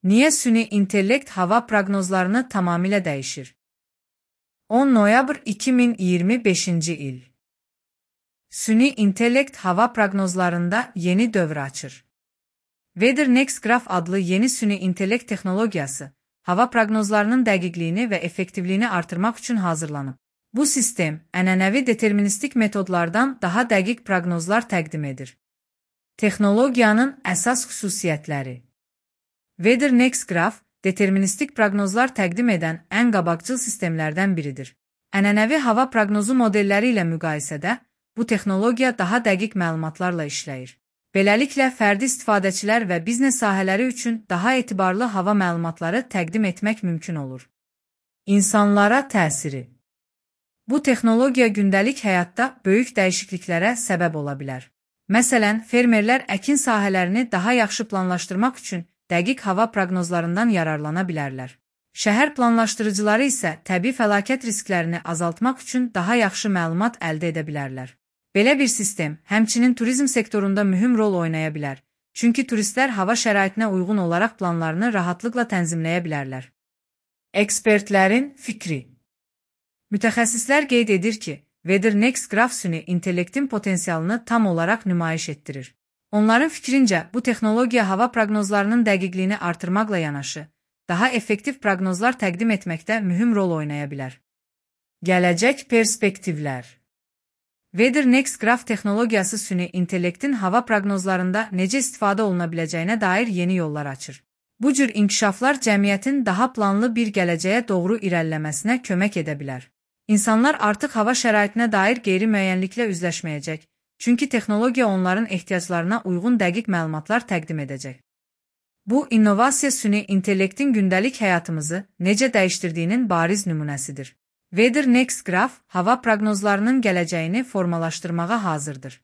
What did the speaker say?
Niye süni intellekt hava prognozlarını tamamıyla değişir? 10 noyabr 2025 il. Süni intellekt hava prognozlarında yeni dövr açır. WeatherNext Graph adlı yeni süni intellekt texnologiyası, hava prognozlarının dəqiqliyini və effektivliyini artırmaq üçün hazırlanıb. Bu sistem, ənənəvi deterministik metodlardan daha dəqiq proqnozlar təqdim edir. Texnologiyanın əsas xüsusiyyətləri. WeatherNext Graph, deterministik proqnozlar təqdim edən ən qabaqcıl sistemlərdən biridir. Ənənəvi hava proqnozu modelləri ilə müqayisədə, bu texnologiya daha dəqiq məlumatlarla işləyir. Beləliklə, fərdi istifadəçilər və biznes sahələri üçün daha etibarlı hava məlumatları təqdim etmək mümkün olur. İnsanlara təsiri. Bu texnologiya gündəlik həyatda böyük dəyişikliklərə səbəb ola bilər. Məsələn, fermerlər əkin sahələrini daha yaxşı planlaşdırmaq üçün dəqiq hava proqnozlarından yararlana bilərlər. Şəhər planlaşdırıcıları isə təbii fəlakət risklərini azaltmaq üçün daha yaxşı məlumat əldə edə bilərlər. Belə bir sistem, həmçinin turizm sektorunda mühüm rol oynaya bilər, çünki turistlər hava şəraitinə uyğun olaraq planlarını rahatlıqla tənzimləyə bilərlər. Ekspertlərin fikri. Mütəxəssislər qeyd edir ki, WeatherNext Graph süni intellektin potensialını tam olaraq nümayiş etdirir. Onların fikrincə, bu texnologiya hava proqnozlarının dəqiqliyini artırmaqla yanaşı, daha effektiv proqnozlar təqdim etməkdə mühüm rol oynaya bilər. Gələcək perspektivlər. WeatherNext Graph texnologiyası süni intellektin hava proqnozlarında necə istifadə oluna biləcəyinə dair yeni yollar açır. Bu cür inkişaflar cəmiyyətin daha planlı bir gələcəyə doğru irəliləməsinə kömək edə bilər. İnsanlar artıq hava şəraitinə dair qeyri-müəyyənliklə üzləşməyəcək, çünki texnologiya onların ehtiyaclarına uyğun dəqiq məlumatlar təqdim edəcək. Bu, innovasiya süni intellektin gündəlik həyatımızı necə dəyişdirdiyinin bariz nümunəsidir. WeatherNext Graph, hava proqnozlarının gələcəyini formalaşdırmağa hazırdır.